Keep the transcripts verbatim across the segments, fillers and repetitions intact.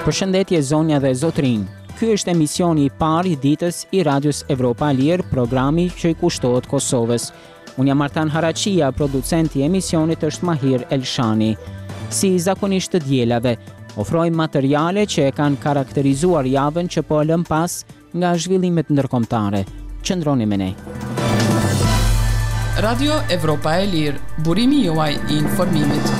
Përshëndetje zonja dhe zotrinj. Ky është emisioni i parë i ditës i Radios Evropa e Lirë, programi që i kushtohet Kosovës. Unë jam Artan Haraqia, producenti i emisionit është Mahir Elshani. Si zakonisht të dielave, ofrojmë materiale që e kanë karakterizuar javën që po e lëm pas nga zhvillimet ndërkombëtare. Qëndroni me ne. Radio Evropa e Lirë, burimi juaj i informimit.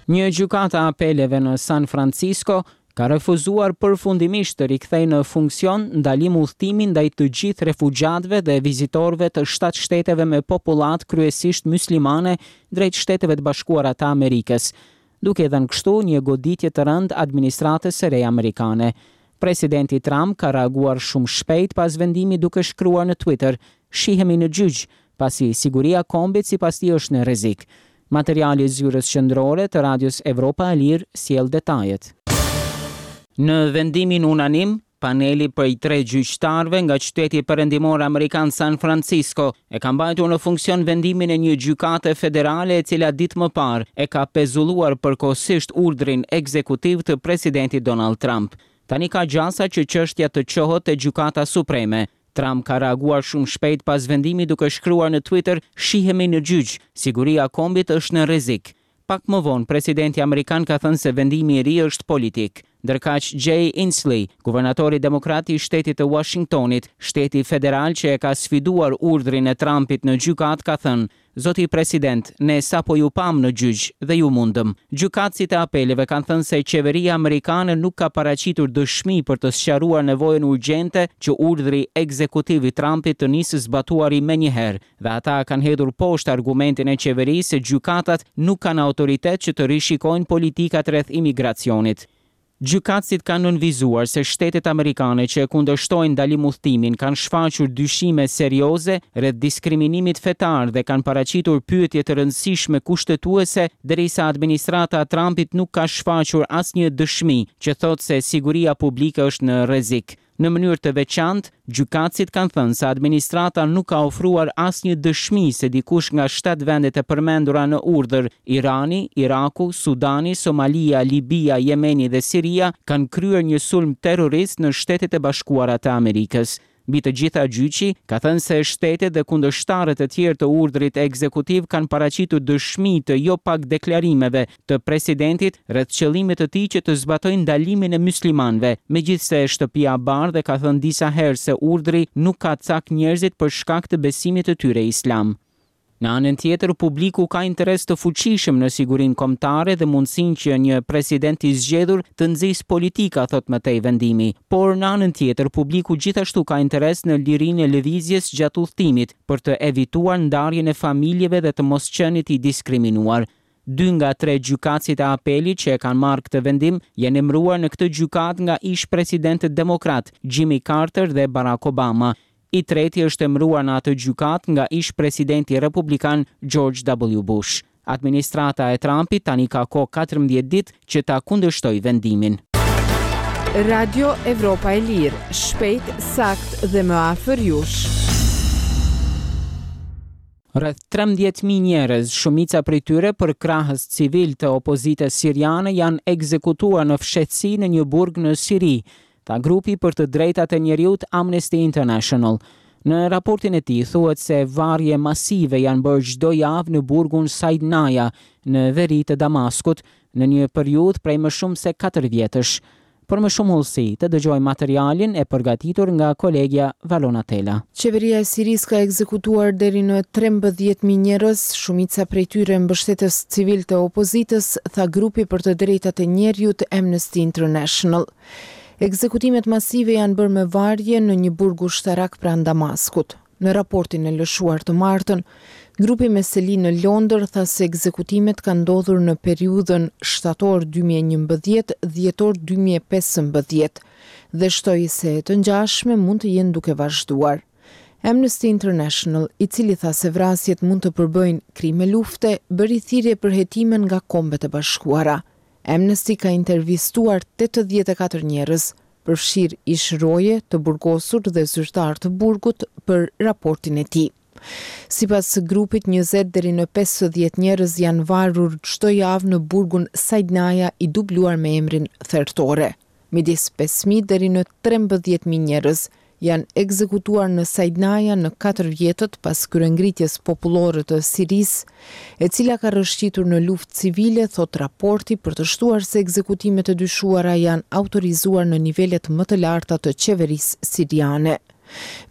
Një gjykata e apeleve në San Francisco ka refuzuar përfundimisht të rikthejë në funksion ndalim udhëtimin ndaj të gjithë refugjatëve dhe vizitorëve të shtatë shteteve me popullatë kryesisht muslimane drejt Shteteve të Bashkuara të Amerikës, duke dhënë kështu një goditje të rëndë administratës së re amerikane. Presidenti Trump ka reaguar shumë shpejt pas vendimit duke shkruar në Twitter: "Shihemi në gjyq, pasi siguria e kombit sipas tij është në rrezik." Materiali i zyrës qendrore të Radios Evropa e Lirë sjell detajet. Në vendimin unanim, paneli prej tre gjyqtarëve nga qyteti perëndimor amerikan San Francisco e ka mbajtur në funksion vendimin e një gjykate federale e cila ditë më parë e ka pezulluar përkohësisht urdhrin ekzekutiv të presidentit Donald Trump. Tani ka gjasa që çështja të çohet te Gjykata Supreme. Trump ka reaguar shumë shpejt pas vendimit duke shkruar në Twitter: "Shihemi në gjyq, siguria e kombit është në rrezik." Pak më vonë, presidenti amerikan ka thënë se vendimi i ri është politik. Ndërkaq Jay Inslee, guvernatori demokrat i shtetit të Washingtonit, shteti federal që e ka sfiduar urdhrin e Trumpit në gjykatë, ka thënë: "Zoti president, ne sapo ju pam në gjyq dhe ju mundëm." Gjykatësit e apeleve kanë thënë se qeveria amerikane nuk ka paraqitur dëshmi për të sqaruar nevojën urgjente që urdhri ekzekutiv i Trumpit të nisë zbatuari menjëherë, dhe ata kanë hedhur poshtë argumentin e qeverisë se gjykatat nuk kanë autoritet që të rishikojnë politikat rreth imigracionit. Gjykatësit kanë nënvizuar se shtetet amerikane që e kundërshtojnë ndalim udhëtimin kanë shfaqur dyshime serioze rreth diskriminimit fetar dhe kanë paraqitur pyetje të rëndësishme kushtetuese, derisa administrata e Trumpit nuk ka shfaqur asnjë dëshmi që thotë se siguria publike është në rrezik. Në mënyrë të veçantë, gjykatësit kanë thënë se administrata nuk ka ofruar asnjë dëshmi se dikush nga shtatë vendet e përmendura në urdhër, Irani, Iraku, Sudani, Somalia, Libia, Jemeni dhe Siria, kanë kryer një sulm terrorist në Shtetet e Bashkuara të Amerikës. Mbi të gjitha gjyqi ka thënë se shtetet dhe kundërshtarët e tjerë të urdhrit ekzekutiv kanë paraqitur dëshmi të jo pak deklarimeve të presidentit rreth qëllimit të tij që të zbatojë ndalimin e muslimanëve, megjithëse Shtëpia e Bardhë ka thënë disa herë se urdhri nuk ka cak njerëzit për shkak të besimit të tyre islam. Në anën tjetër, publiku ka interes të fuqishëm në sigurinë kombëtare dhe mundësinë që një president i zgjedhur të nxisë politika, thot më tej vendimi. Por në anën tjetër, publiku gjithashtu ka interes në lirinë e lëvizjes gjatë udhëtimit për të evituar ndarjen e familjeve dhe të mos qenit i diskriminuar. Dy nga tre gjykatësit e apelit që e kanë marrë këtë vendim janë emëruar në këtë gjykatë nga ish-presidentët demokrat Jimmy Carter dhe Barack Obama. I treti është emëruar në atë gjykatë nga ish-presidenti republikan George W. Bush. Administrata e Trumpit tani ka kohë katërmbëdhjetë ditë që ta kundërshtojë vendimin. Radio Evropa e Lirë, shpejt, sakt dhe më afër jush. Rreth trembëdhjetë mijë njerëz, shumica prej tyre përkrahës civil të opozitës siriane, janë ekzekutuar në fshehtësi në një burg në Siri, tha grupi për të drejtat e njeriut Amnesty International. Në raportin e tij thuhet se varje masive janë bërë çdo javë në burgun Saidnaya në veri të Damaskut në një periudhë prej më shumë se katër vjetësh. Për më shumë hollësi, të dëgjojmë materialin e përgatitur nga kolegja Valona Tela. Qeveria e Sirisë ka ekzekutuar deri në trembëdhjetë mijë njerëz, shumica prej tyre mbështetës civil të opozitës, tha grupi për të drejtat e njeriut Amnesty International. Ekzekutimet masive janë bërë me varje në një burg ushtarak pranë Damaskut. Në raportin e lëshuar të martën, grupi me seli në Londër tha se ekzekutimet kanë ndodhur në periudhën shtator dy mijë e njëmbëdhjetë, dhjetor dy mijë e pesëmbëdhjetë dhe shtoi se të ngjashme mund të jenë duke vazhduar. Amnesty International, i cili tha se vrasjet mund të përbëjnë krime lufte, bëri thirrje për hetime nga Kombet e Bashkuara. Amnesty ka intervistuar tetëdhjetë e katër njerëz, përfshirë ish roje, të burgosur dhe zyrtar të burgut për raportin e tij. Sipas grupit, njëzet deri në pesëdhjetë njerëz janë varur çdo javë në burgun Saidnaya, i dubluar me emrin Thertore. Midis pesë mijë deri në trembëdhjetë mijë njerëz janë ekzekutuar në Saidnaya në katër vjetët pas kryengritjes popullore të Sirisë, e cila ka rrëshqitur në luftë civile, thot raporti, për të shtuar se ekzekutimet e dyshuara janë autorizuar në nivelet më të larta të qeverisë siriane.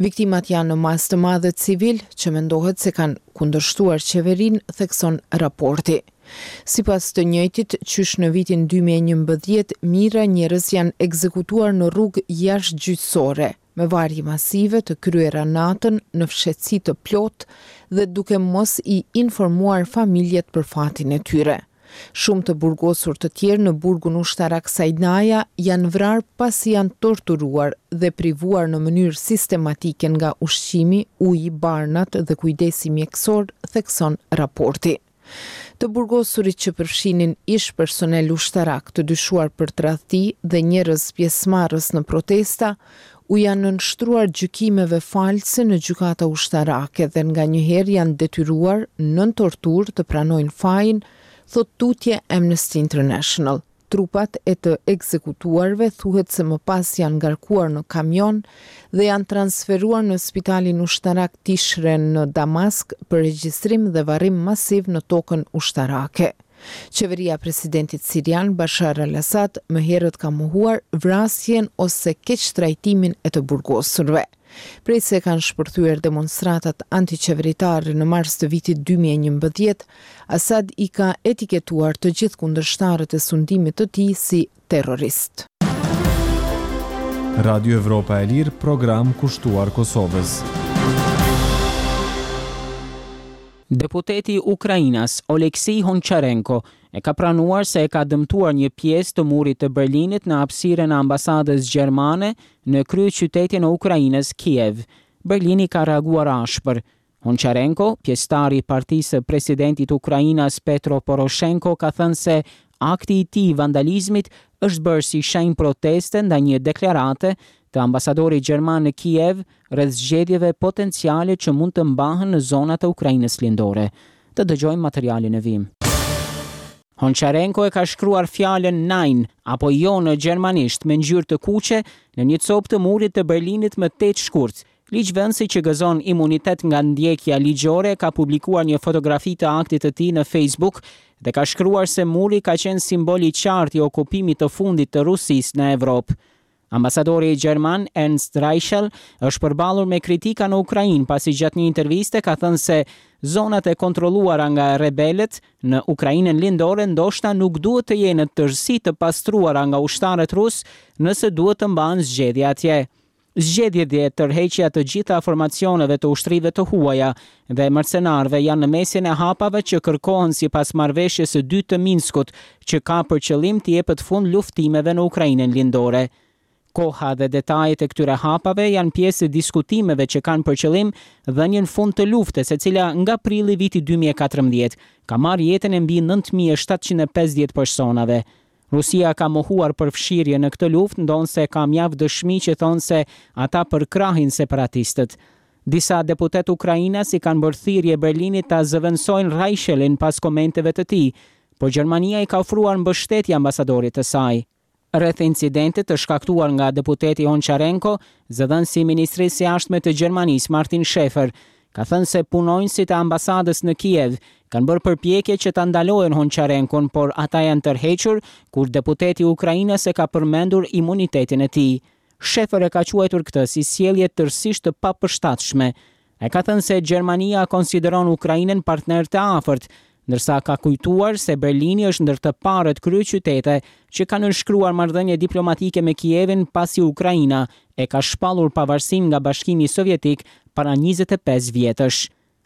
Viktimat janë në masë të madhe civil që mendohet se kanë kundërshtuar qeverinë, thekson raporti. Sipas të njëjtit, qysh në vitin dy mijë e njëmbëdhjetë, mijëra njerëz janë ekzekutuar në rrugë jashtë gjyqësore, me varje masive të kryera natën në fshehtësi të plotë dhe duke mos i informuar familjet për fatin e tyre. Shumë të burgosur të tjerë në burgun ushtarak Saidnaya janë vrarë pasi janë torturuar dhe privuar në mënyrë sistematike nga ushqimi, uji, barnat dhe kujdesi mjekësor, thekson raporti. Të burgosurit që përfshinin ish personel ushtarak të dyshuar për tradhti dhe njerëz pjesëmarrës në protesta, u janë nënshtruar gjykimeve false në gjykata ushtarake dhe nganjëherë janë detyruar nën torturë të pranojnë fajin, thot tutje Amnesty International. Trupat e të ekzekutuarve thuhet se më pas janë ngarkuar në kamion dhe janë transferuar në spitalin ushtarak Tishren në Damask për regjistrim dhe varrim masiv në tokën ushtarake. Qeveria e presidentit sirian Bashar al-Assad më herët ka mohuar vrasjen ose keqtrajtimin e të burgosurve. Prej se kanë shpërthyer demonstratat antiqeveritare në mars të vitit dy mijë e njëmbëdhjetë, Assad i ka etiketuar të gjithë kundërshtarët e sundimit të tij si terrorist. Radio Evropa e Lirë, program kushtuar Kosovës. Deputeti ukrainas Oleksiy Honcharenko e ka pranuar se e ka dëmtuar një pjesë të murit të Berlinit në hapësirën e ambasadës gjermane në kryeqytetin e Ukrainës, Kiev. Berlini ka reaguar ashpër. Honcharenko, pjesëtari i partisë së presidentit ukrainas Petro Poroshenko, ka thënë se akti i tij i vandalizmit është bërë si shenjë proteste ndaj një deklarate të ambasadorit gjerman në Kiev rreth zgjedhjeve potenciale që mund të mbahen në zonat e Ukrainës lindore. Të dëgjojmë materialin e vim. Honcharenko e ka shkruar fjalën Nein apo jo në gjermanisht me ngjyrë të kuqe në një copë të murit të Berlinit më tetë shkurt. Ligjvënësi që gëzon imunitet nga ndjekja ligjore ka publikuar një fotografi të aktit të tij në Facebook dhe ka shkruar se muri ka qenë simbol i qartë i okupimit të fundit të Rusisë në Evropë. Ambasadori gjerman Ernst Reichel është përballur me kritika në Ukrainë pasi gjatë një interviste ka thënë se zonat e kontrolluara nga rebelët në Ukrainën lindore ndoshta nuk duhet të jenë në tërësi të pastruara nga ushtarët rus nëse duhet të mbahen zgjedhje atje. Zgjedhjet dhe tërheqja të gjitha formacioneve të ushtrive të huaja dhe mercenarëve janë në mesin e hapave që kërkohen sipas marrëveshjes së dytë të Minskut, që ka për qëllim të jepet fund luftimeve në Ukrainën lindore. Koha dhe detajet e këtyre hapave janë pjesë e diskutimeve që kanë për qëllim dhënien fund të luftës, e cila nga prilli vitit dy mijë e katërmbëdhjetë ka marrë jetën e mbi nëntë mijë e shtatëqind e pesëdhjetë personave. Rusia ka mohuar përfshirje në këtë luftë, ndonëse ka mjaft dëshmi që thonë se ata përkrahin separatistët. Disa deputet ukrainas i kanë bërë thirrje Berlinit ta zëvendësojnë Reichelin pas komenteve të tij, por Gjermania i ka ofruar mbështetje ambasadorit të saj. Rreth incidentit të shkaktuar nga deputeti Honcharenko, zëdhënësi i Ministrisë së Jashtme të Gjermanisë Martin Schäfer ka thënë se punonjësit e ambasadës në Kiev kanë bërë përpjekje që ta ndalojnë Honcharenkon, por ata janë tërhequr kur deputeti ukrainas e ka përmendur imunitetin e tij. Schäfer e ka quajtur këtë si sjellje tërësisht të papërshtatshme. Ai ka thënë se Gjermania konsideron Ukrainën partner të afërt, ndërsa ka kujtuar se Berlini është ndër të parët kryeqytete që kanë nënshkruar marrëdhënie diplomatike me Kievin pasi Ukraina e ka shpallur pavarësinë nga Bashkimi Sovjetik para njëzet e pesë vjetësh.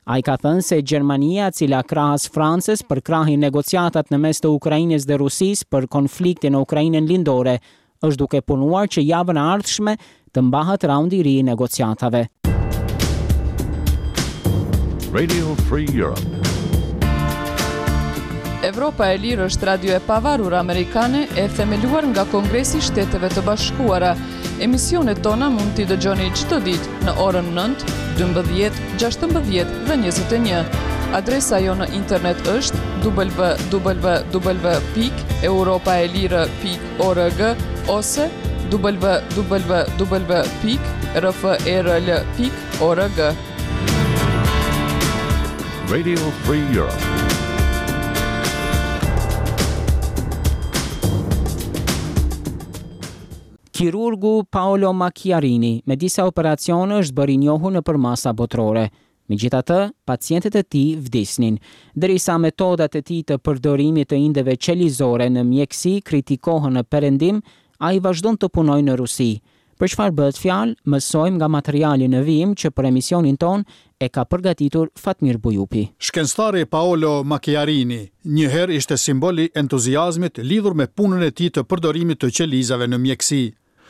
Ai ka thënë se Gjermania, e cila krahas Francës përkrahi negociatat në mes të Ukrainës dhe Rusisë për konfliktin në Ukrainën lindore, është duke punuar që javën e ardhshme të mbahet raundi i ri i negociatave. Radio Free Europe. Evropa e Lirë është radio e pavarur amerikane e themeluar nga Kongresi i Shteteve të Bashkuara. Emisionet tona mund t'i dëgjoni çdo ditë në orën nëntë, dymbëdhjetë, gjashtëmbëdhjetë dhe njëzet e një. Adresa jonë në internet është w w w pikë europaelire pikë org ose w w w pikë r f e r l pikë org. Radio Free Europe. Kirurgu Paolo Macchiarini me disa operacione është bërë i njohur në përmasa botërore. Megjithatë, pacientët e tij vdisnin. Derisa metodat e tij të përdorimit të indeve qelizore në mjekësi kritikohen në perëndim, ai vazhdon të punojë në Rusi. Për çfarë bëhet fjalë, mësojmë nga materiali në vijim që për emisionin ton e ka përgatitur Fatmir Bujupi. Shkencëtari Paolo Macchiarini një herë ishte simbol i entuziazmit lidhur me punën e tij të përdorimit të qelizave në mjekësi.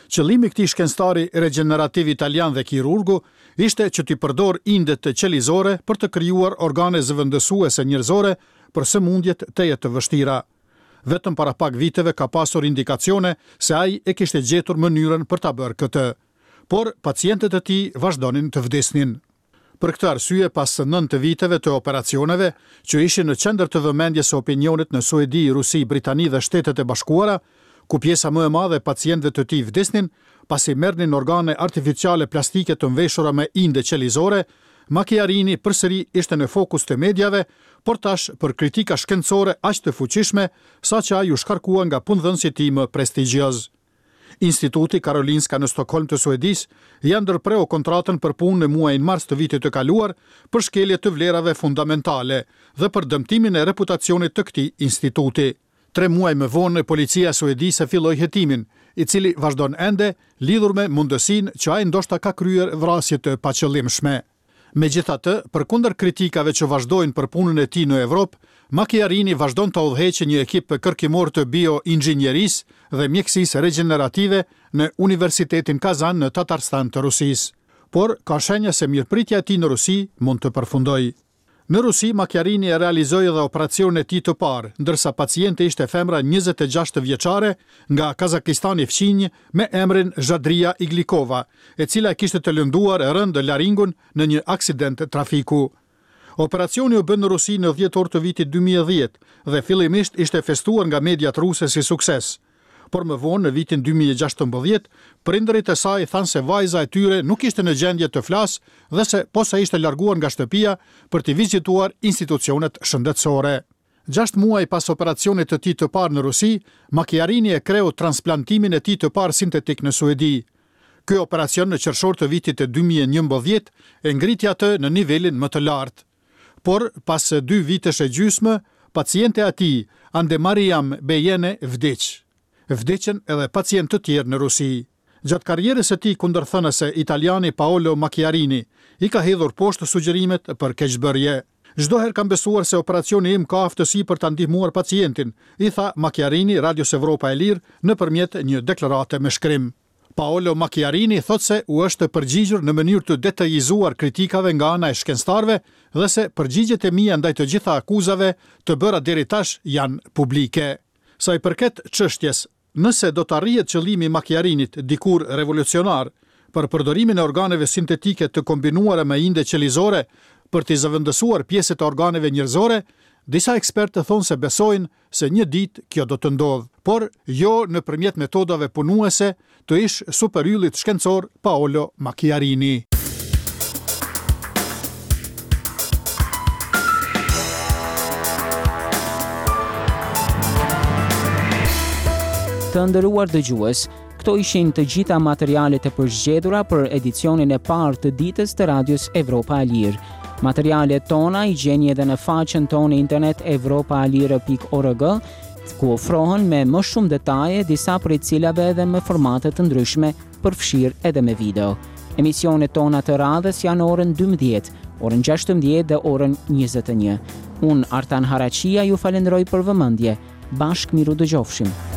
Qëllimi i këtij shkencëtari regjenerativ italian dhe kirurgu ishte që t'i përdor indet qelizore për të krijuar organe zëvendësuese njerëzore për sëmundjet tejet të vështira. Vetëm para pak viteve ka pasur indikacione se ai e kishte gjetur mënyrën për ta bërë këtë. Por pacientët e tij vazhdonin të vdisnin. Për këtë arsye, pas nëntë viteve të operacioneve, që ishin në qendër të vëmendjes së opinionit në Suedi, Rusi, Britani dhe Shtetet e Bashkuara, ku pjesa më e madhe e pacientëve të tij vdisnin, pasi merrnin organe artificiale plastike të mveshura me inde qelizore, Macchiarini përsëri ishte në fokus të mediave, por tash për kritika shkencore aq të fuqishme, sa që ai u shkarkua nga punëdhënësi i tij më prestigjioz. Instituti Karolinska në Stockholm të Suedisë ja ndërpreu kontratën për punë në muajin mars të vitit të kaluar për shkelje të vlerave fundamentale dhe për dëmtimin e reputacionit të këtij instituti. Tre muaj më vonë, policia e Suedisë filloi hetimin, i cili vazhdon ende lidhur me mundësinë që ai ndoshta ka kryer vrasje të paqëllimshme. Megjithatë, përkundër kritikave që vazhdojnë për punën e tij në Evropë, Macchiarini vazhdon të udhëheqë një ekip kërkimor të bioinxhinierisë dhe mjekësisë regjenerative në Universitetin Kazan në Tatarstan të Rusisë. Por ka shenja se mirëpritja e tij në Rusi mund të përfundojë. Në Rusi, Macchiarini e realizoi edhe operacionin e tij të parë, ndërsa paciente ishte femra njëzet e gjashtë vjeçare nga Kazakistani fqinj me emrin Zhadria Iglikova, e cila kishte të lënduar rëndë laringun në një aksident trafiku. Operacioni u bë në Rusi në dhjetor të vitit dy mijë e dhjetë dhe fillimisht ishte festuar nga mediat ruse si sukses. Por më vonë, në vitin dy mijë e gjashtëmbëdhjetë, prindërit e saj thanë se vajza e tyre nuk ishte në gjendje të flasë dhe se posa ishte larguar nga shtëpia për t'i vizituar institucionet shëndetësore. Gjashtë muaj pas operacionit të tij të parë në Rusi, Macchiarini e kreu transplantimin e tij të parë sintetik në Suedi. Ky operacion në qershor të vitit të dy mijë e njëmbëdhjetë e ngriti atë në nivelin më të lartë. Por, pas dy vitesh e gjysmë, paciente e atij, Andemariam Bejene, vdiq. Vdiqën edhe pacientë të tjerë në Rusi. Gjatë karrierës së tij kundërthënëse, italiani Paolo Macchiarini i ka hedhur poshtë sugjerimet për keqbërje. Çdo herë kam besuar se operacioni im ka aftësi për ta ndihmuar pacientin, i tha Macchiarini Radios Evropa e Lirë nëpërmjet një deklarate me shkrim. Paolo Macchiarini thotë se u është përgjigjur në mënyrë të detajizuar kritikave nga ana e shkencëtarëve dhe se përgjigjet e mia ndaj të gjitha akuzave të bëra deri tash janë publike. Sa i përket çështjes, nëse do të arrihet qëllimi i Macchiarinit dikur revolucionar për përdorimin e organeve sintetike të kombinuara me inde qelizore për t'i zëvendësuar pjesët e organeve njerëzore, disa ekspertë thonë se besojnë se një ditë kjo do të ndodhë, por jo nëpërmjet metodave punuese të ish superyllit shkencor Paolo Macchiarini. Të nderuar dëgjues, këto ishin të gjitha materialet e përzgjedhura për edicionin e parë të ditës të Radios Evropa e Lirë. Materialet tona i gjeni edhe në faqen tonë internet evropa e lirë pikë org, ku ofrohen me më shumë detaje, disa prej cilave edhe me formate të ndryshme, përfshirë edhe me video. Emisionet tona të radhës janë orën dymbëdhjetë, orën gjashtëmbëdhjetë dhe orën njëzet e një. Unë, Artan Haraqia, ju falenderoj për vëmendje. Bashkë miru dëgjofshim.